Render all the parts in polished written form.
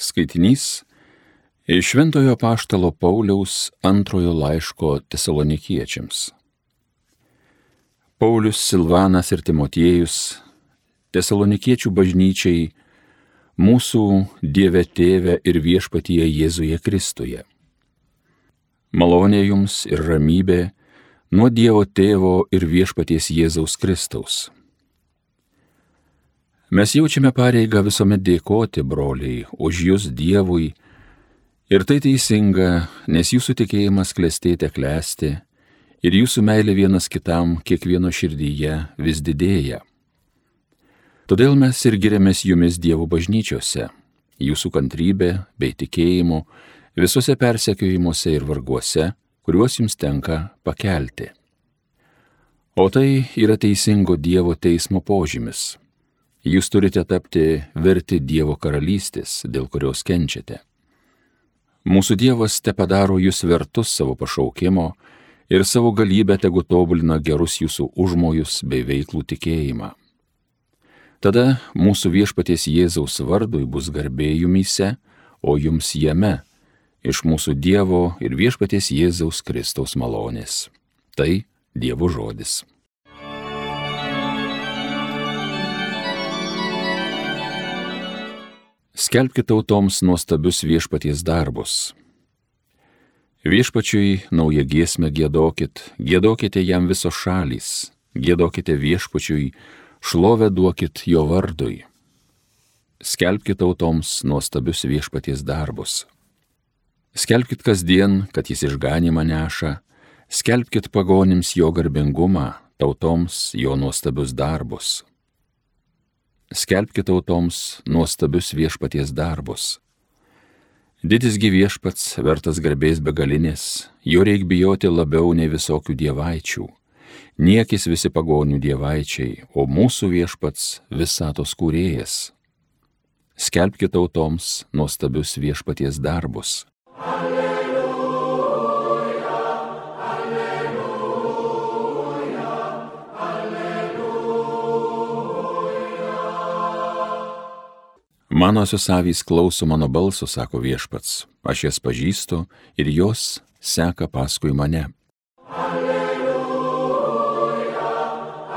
Skaitinys iš Šventojo Apaštalo Pauliaus antrojo laiško Tesalonikiečiams. Paulius, Silvanas ir Timotiejus, Tesalonikiečių bažnyčiai, mūsų Dieve Tėve ir Viešpatyje Jėzuje Kristuje. Malonė jums ir ramybė nuo Dievo Tėvo ir Viešpaties Jėzaus Kristaus. Mes jaučiame pareigą visuomet dėkoti, broliai, už jūs Dievui, ir tai teisinga, nes jūsų tikėjimas klestėte klesti, ir jūsų meilė vienas kitam kiekvieno širdyje vis didėja. Todėl mes ir giriamės jumis Dievo bažnyčiose, jūsų kantrybė bei tikėjimu visuose persekiojimuose ir varguose, kuriuos jums tenka pakelti. O tai yra teisingo Dievo teismo požymis. Jūs turite tapti verti Dievo karalystės, dėl kurios kenčiate. Mūsų Dievas tepadaro jūs vertus savo pašaukimo ir savo galybę tegu tobulina gerus jūsų užmojus bei veiklų tikėjimą. Tada mūsų Viešpaties Jėzaus vardui bus garbė jumyse, o jums jame, iš mūsų Dievo ir Viešpaties Jėzaus Kristaus malonės. Tai Dievo žodis. Skelbkite tautoms nuostabius Viešpaties darbus. Viešpačiui naują giesmę giedokit, giedokite jam visos šalys, giedokite Viešpačiui, šlovę duokit jo vardui. Skelbkite tautoms nuostabius Viešpaties darbus. Skelbkit kasdien, kad jis išganymą neša, skelbkit pagonims jo garbingumą, tautoms jo nuostabius darbus. Skelbkite tautoms nuostabius Viešpaties darbus. Didisgi Viešpats vertas garbės begalinės, jo reik bijoti labiau nei visokių dievaičių. Niekis visi pagonių dievaičiai, o mūsų Viešpats visatos kūrėjas. Skelbkite tautoms nuostabius Viešpaties darbus. Manosios avys klauso mano balso, sako Viešpats, aš jas pažįstu ir jos seka paskui mane. Alleluja,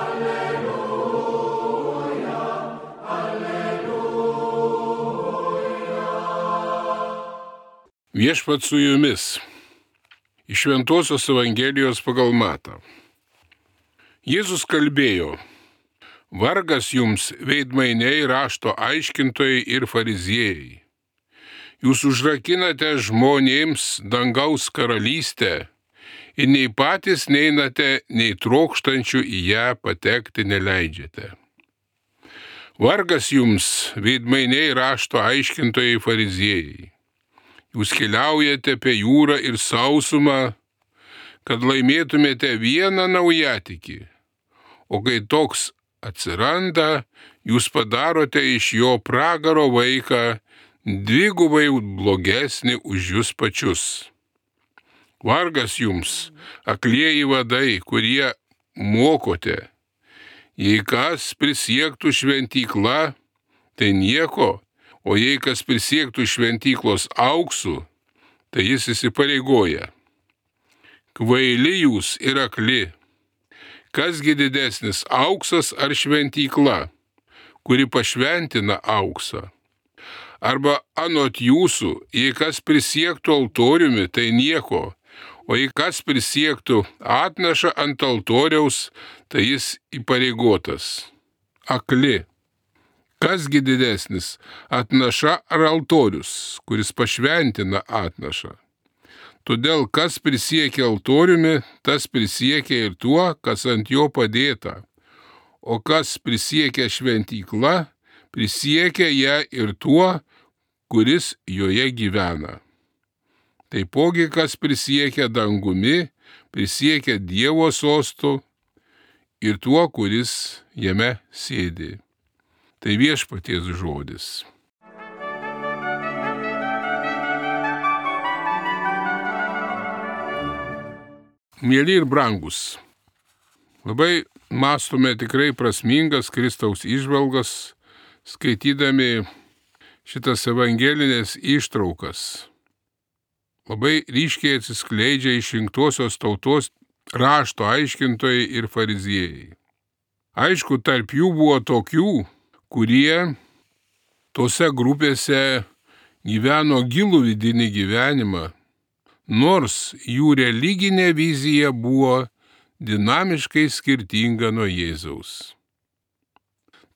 alleluja, alleluja. Viešpats su jumis. Iš Šventosios Evangelijos pagal Matą. Jėzus kalbėjo: Vargas jums, veidmainiai, rašto aiškintojai ir fariziejai. Jūs užrakinate žmonėms dangaus karalystę ir nei patys neinate, nei trokštančių į ją patekti neleidžiate. Vargas jums, veidmainiai, rašto aiškintojai fariziejai. Jūs keliaujate apie jūrą ir sausumą, kad laimėtumėte vieną naujatikį, o kai toks atsiranda, jūs padarote iš jo pragaro vaiką dvigubai blogesnį už jūs pačius. Vargas jums, aklieji vadai, kurie mokote. Jei kas prisiektų šventykla, tai nieko, o jei kas prisiektų šventyklos auksu, tai jis įsipareigoja. Kvaili jūs ir akli. Kasgi didesnis, auksas ar šventykla, kuri pašventina auksą? Arba anot jūsų, jei kas prisiektų altoriumi, tai nieko, o jei kas prisiektų atnašą ant altoriaus, tai jis įpareigotas. Akli. Kasgi didesnis, atnaša ar altorius, kuris pašventina atnašą? Todėl, kas prisiekia altoriumi, tas prisiekia ir tuo, kas ant jo padėta. O kas prisiekia šventykla, prisiekia ją ir tuo, kuris joje gyvena. Taipogi, kas prisiekia dangumi, prisiekia Dievo sostu ir tuo, kuris jame sėdi. Tai Viešpaties žodis. Mieli ir brangus, labai mąstome tikrai prasmingas Kristaus įžvalgas, skaitydami šitas evangelinės ištraukas labai ryškiai atsiskleidžia išrinktosios tautos rašto aiškintojai ir fariziejai. Aišku, tarp jų buvo tokių, kurie tose grupėse gyveno gilų vidinį gyvenimą, nors jų religinė vizija buvo dinamiškai skirtinga nuo Jėzaus.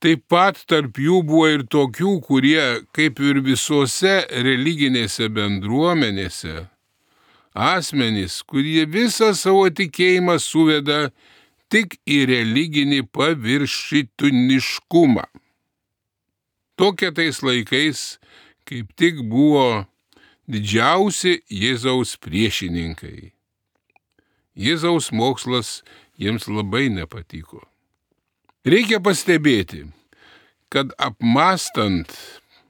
Taip pat tarp jų buvo ir tokių, kurie, kaip ir visose religinėse bendruomenėse, asmenys, kurie visą savo tikėjimą suveda tik į religinį paviršutiniškumą. Tokie tais laikais kaip tik buvo didžiausi Jėzaus priešininkai. Jėzaus mokslas jiems labai nepatiko. Reikia pastebėti, kad apmąstant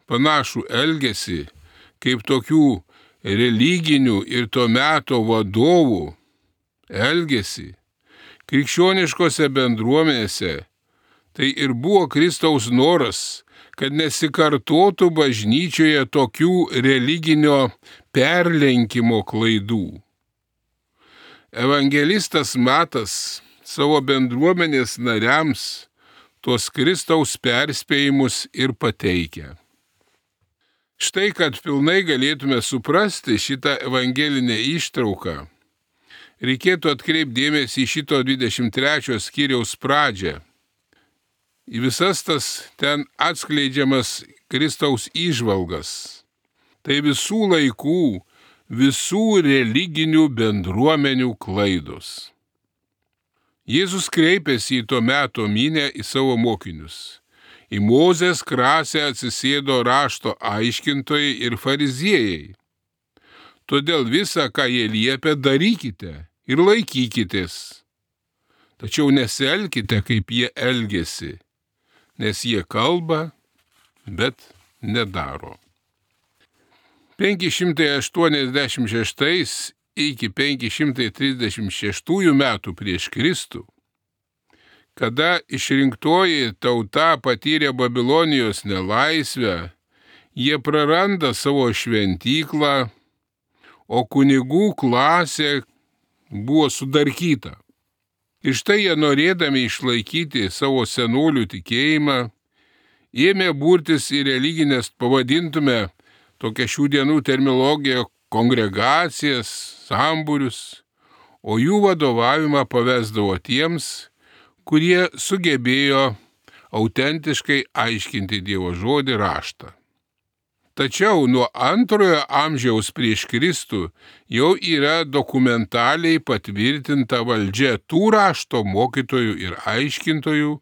panašų elgesį kaip tokių religinių ir to meto vadovų elgesį krikščioniškose bendruomenėse, tai ir buvo Kristaus noras, kad nesikartotų bažnyčioje tokių religinio perlenkimo klaidų. Evangelistas Matas savo bendruomenės nariams tuos Kristaus perspėjimus ir pateikia. Štai, kad pilnai galėtume suprasti šitą evangelinę ištrauką, reikėtų atkreipti dėmesį į šito 23 skyriaus pradžią, į visas tas ten atskleidžiamas Kristaus įžvalgas. Tai visų laikų, visų religinių bendruomenių klaidos. Jėzus kreipėsi į to meto minią į savo mokinius. Į Mozės krasę atsisėdo rašto aiškintojai ir fariziejai. Todėl visą, ką jie liepia, darykite ir laikykitės. Tačiau nesielkite, kaip jie elgiasi, nes jie kalba, bet nedaro. 586 iki 536 metų prieš Kristų, kada išrinktoji tauta patyrė Babilonijos nelaisvę, jie praranda savo šventyklą, o kunigų klasė buvo sudarkyta. Ir štai jie, norėdami išlaikyti savo senolių tikėjimą, ėmė burtis į religinės, pavadintume tokią šių dienų terminologiją, kongregacijas, sambūrius, o jų vadovavimą pavesdavo tiems, kurie sugebėjo autentiškai aiškinti Dievo žodį raštą. Tačiau nuo 2 amžiaus prieš Kristų jau yra dokumentaliai patvirtinta valdžia tų rašto mokytojų ir aiškintojų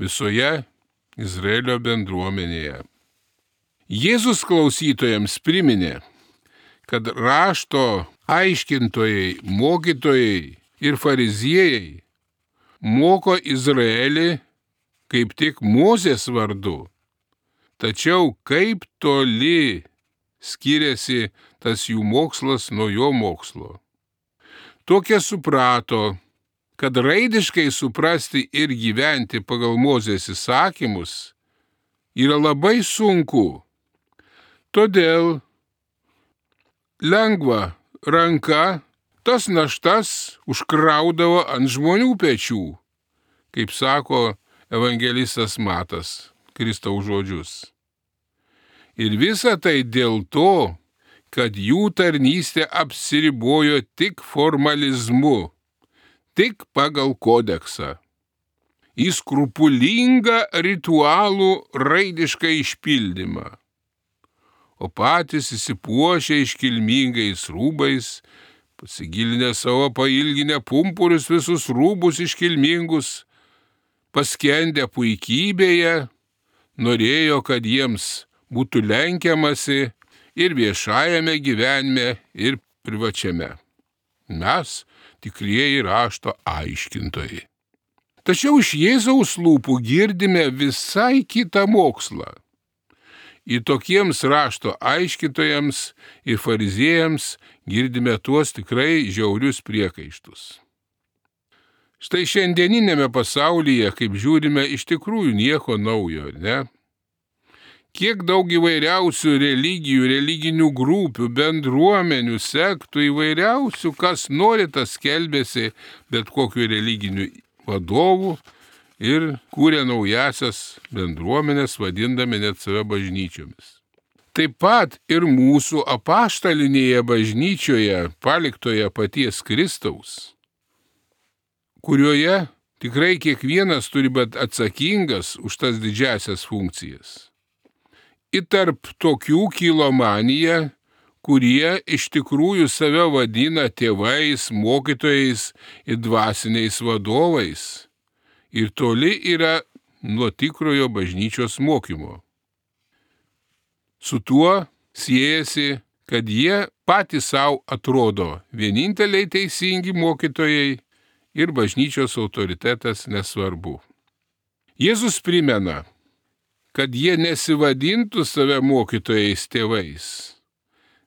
visoje Izraelio bendruomenėje. Jėzus klausytojams priminė, kad rašto aiškintojai, mokytojai ir fariziejai moko Izraelį kaip tik Mozės vardu. Tačiau kaip toli skiriasi tas jų mokslas nuo jo mokslo. Tokie suprato, kad raidiškai suprasti ir gyventi pagal Mozės įsakymus yra labai sunku. Todėl lengva ranka tas naštas užkraudavo ant žmonių pečių, kaip sako evangelistas Matas Kristaus žodžius. Ir visa tai dėl to, kad jų tarnystė apsiribojo tik formalizmu, tik pagal kodeksą, į skrupulingą ritualų raidišką išpildymą, o patys įsipuošę iškilmingais rūbais, pasigilinę savo pailginę pumpurius visus rūbus iškilmingus, paskendę puikybėje, norėjo, kad jiems būtų lenkiamasi ir viešajame gyvenime, ir privačiame. Mes tikrieji rašto aiškintojai. Tačiau iš Jėzaus lūpų girdime visai kitą mokslą. Į tokiems rašto aiškintojams ir fariziejams girdime tuos tikrai žiaurius priekaištus. Štai šiandieninėme pasaulyje, kaip žiūrime, iš tikrųjų nieko naujo, ne? Kiek daug įvairiausių religijų, religinių grupių, bendruomenių, sektų įvairiausių, kas nori, tas skelbėsi bet kokiu religiniu vadovu ir kūrė naujasias bendruomenės, vadindami net save bažnyčiomis. Taip pat ir mūsų apaštalinėje bažnyčioje, paliktoje paties Kristaus, kurioje tikrai kiekvienas turi būti atsakingas už tas didžiasias funkcijas. Ir tarp tokių kilo manija, kurie iš tikrųjų save vadina tėvais, mokytojais ir dvasiniais vadovais. Ir toli yra nuo tikrojo bažnyčios mokymo. Su tuo siejasi, kad jie patys savo atrodo vieninteliai teisingi mokytojai ir bažnyčios autoritetas nesvarbu. Jėzus primena, kad jie nesivadintų save mokytojais tėvais,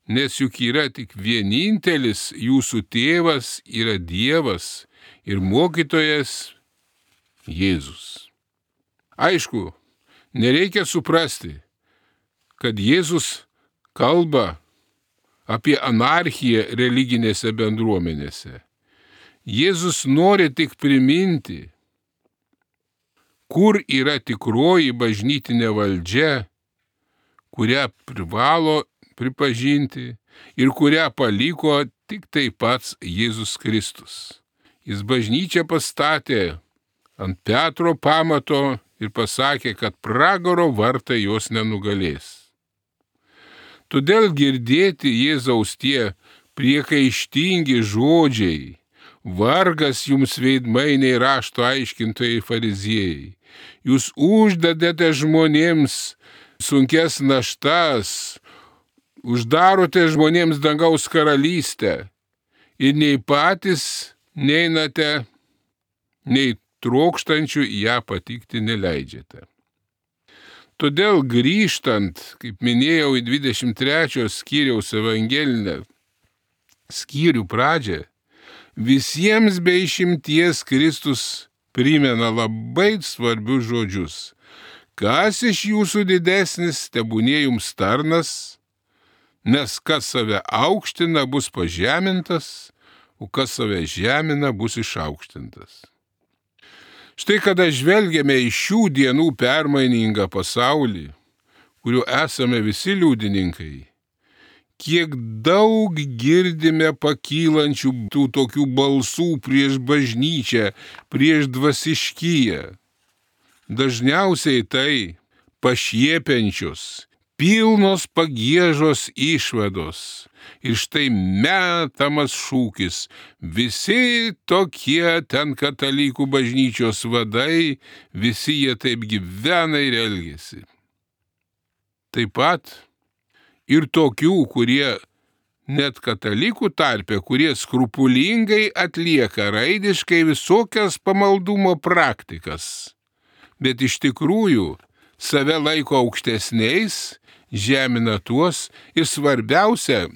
nes juk yra tik vienintelis jūsų tėvas yra Dievas ir mokytojas Jėzus. Aišku, nereikia suprasti, kad Jėzus kalba apie anarchiją religinėse bendruomenėse. Jėzus nori tik priminti, kur yra tikroji bažnytinė valdžia, kurią privalo pripažinti ir kurią paliko tik tai pats Jėzus Kristus. Jis bažnyčią pastatė ant Petro pamato ir pasakė, kad pragaro vartai jos nenugalės. Todėl girdėti Jėzaus tie priekaištingi žodžiai, vargas jums veidmainiai rašto aiškintojai fariziejai, jūs uždedate žmonėms sunkes naštas, uždarote žmonėms dangaus karalystę ir nei patys neinate, nei trokštančių ją patikti neleidžiate. Todėl grįžtant, kaip minėjau, į 23 skyriaus evangelinę skyrių pradžią, visiems be išimties Kristus primena labai svarbius žodžius. Kas iš jūsų didesnis, tebūnie jums tarnas, nes kas save aukština, bus pažemintas, o kas save žemina, bus išaukštintas. Štai kada žvelgiame į šių dienų permainingą pasaulį, kuriuo esame visi liudininkai, kiek daug girdime pakylančių tų tokių balsų prieš bažnyčią, prieš dvasiškiją. Dažniausiai tai pašiepiančios, pilnos pagiežos išvados. Ir štai metamas šūkis, visi tokie ten katalikų bažnyčios vadai, visi jie taip gyvena ir elgiasi. Taip pat ir tokių, kurie net katalikų tarpe, kurie skrupulingai atlieka raidiškai visokias pamaldumo praktikas, bet iš tikrųjų save laiko aukštesniais, žemina tuos ir svarbiausia,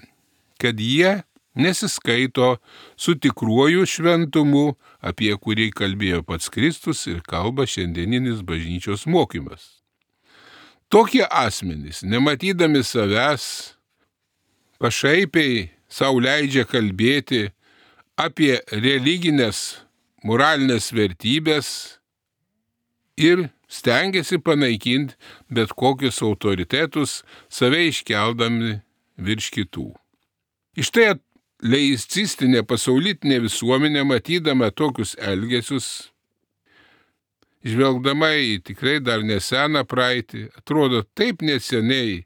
kad jie nesiskaito su tikruoju šventumu, apie kurį kalbėjo pats Kristus ir kalba šiandieninis bažnyčios mokymas. Tokie asmenys, nematydami savęs, pašaipiai sau leidžia kalbėti apie religinės, moralinės vertybės ir stengiasi panaikinti bet kokius autoritetus, save iškeldami virš kitų. Iš tai atleicistinė pasaulitinė visuomenė, matydama tokius elgesius, žvelgdama į tikrai dar neseną praeitį, atrodo taip neseniai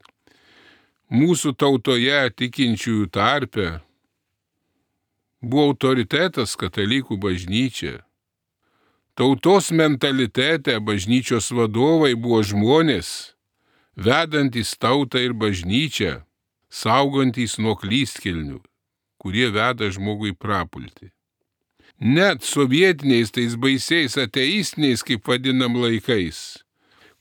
mūsų tautoje tikinčiųjų tarpe buvo autoritetas katalikų bažnyčia. Tautos mentalitete bažnyčios vadovai buvo žmonės, vedantys tautą ir bažnyčią, saugantys nuo klystkelnių, kurie veda žmogui prapulti. Net sovietiniais tais baisiais ateistiniais, kaip vadinam, laikais,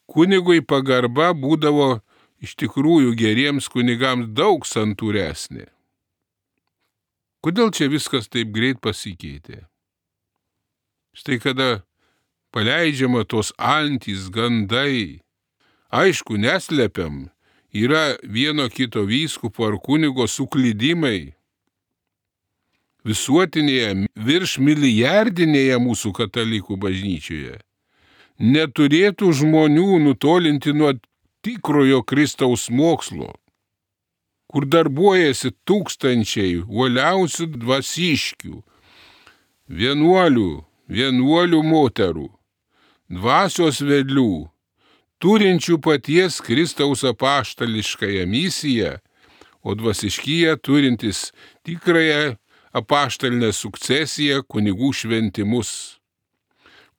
kunigui pagarba būdavo iš tikrųjų geriems kunigams daug santūresnė. Kodėl čia viskas taip greit pasikeitė? Štai kada paleidžiama tos antys gandai Aišku, neslepiam, yra vieno kito vyskupo ar kunigo suklydimai. Visuotinėje, virš milijardinėje mūsų katalikų bažnyčioje neturėtų žmonių nutolinti nuo tikrojo Kristaus mokslo, kur darbuojasi tūkstančiai uoliausių dvasiškių, vienuolių moterų, dvasios vedlių, turinčių paties Kristaus apaštališkąją misiją, o dvasiškyje turintis tikrąją apaštalinę sukcesiją, kunigų šventimus,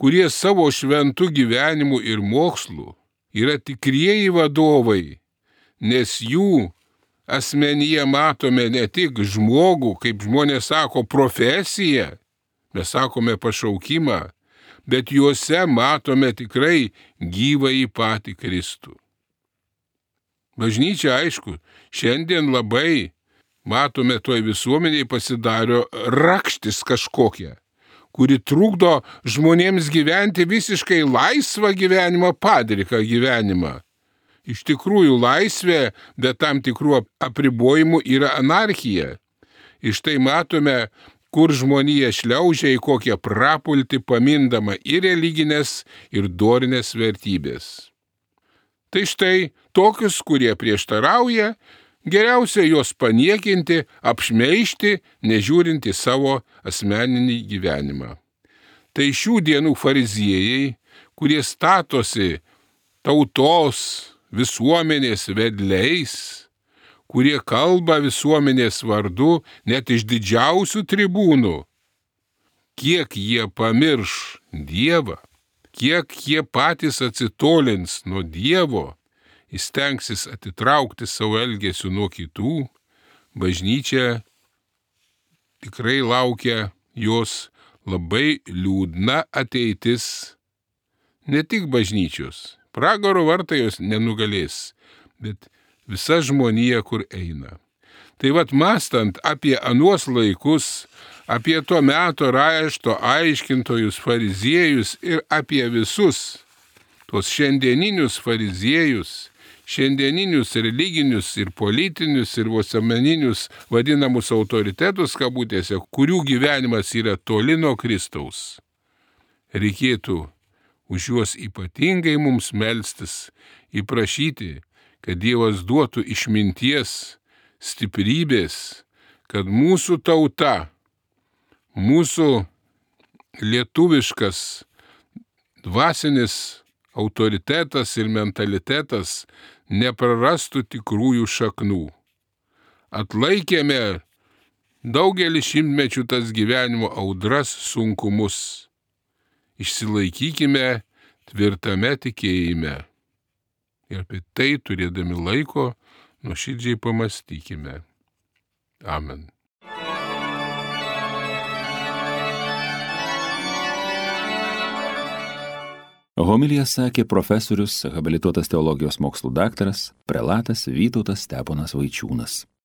kurie savo šventų gyvenimų ir mokslų yra tikrieji vadovai, nes jų asmenyje matome ne tik žmogų, kaip žmonės sako, profesiją, mes sakome pašaukimą, bet juose matome tikrai gyvąjį patį Kristų. Bažnyčia, aišku, šiandien labai matome toj visuomeniai pasidario rakštis kažkokia, kuri trukdo žmonėms gyventi visiškai laisvą gyvenimą, padriką gyvenimą. Iš tikrųjų, laisvė, bet tam tikrų apribojimų yra anarchija. Iš tai matome, kur žmonija šliaužia į kokią prapultį, pamindama ir religinės, ir dorinės vertybės. Tai štai tokius, kurie prieštarauja, geriausia juos paniekinti, apšmeižti, nežiūrinti savo asmeninį gyvenimą. Tai šių dienų fariziejai, kurie statosi tautos, visuomenės vedliais, kurie kalba visuomenės vardu net iš didžiausių tribūnų, kiek jie pamirš Dievą, kiek jie patys atsitolins nuo Dievo, įstengsis atitraukti savo elgesių nuo kitų, bažnyčia tikrai laukia jos labai liūdna ateitis, ne tik bažnyčios, pragaro vartai jos nenugalės, bet visa žmonija, kur eina. Tai vat mąstant apie anuos laikus, apie to meto rašto aiškintojus fariziejus ir apie visus tos šiandieninius fariziejus, šiandieninius religinius ir politinius ir visuomeninius vadinamus autoritetus kabutėse, kurių gyvenimas yra toli nuo Kristaus. Reikėtų už juos ypatingai mums melstis, įprašyti, kad Dievas duotų išminties, stiprybės, kad mūsų tauta, mūsų lietuviškas dvasinis autoritetas ir mentalitetas neprarastų tikrųjų šaknų. Atlaikėme daugelį šimtmečių tas gyvenimo audras, sunkumus. Išsilaikykime tvirtame tikėjime. Ir apie tai turėdami laiko nuoširdžiai pamastykime. Amen. Homiliją sakė profesorius, habilituotas teologijos mokslų daktaras, prelatas Vytautas Steponas Vaičiūnas.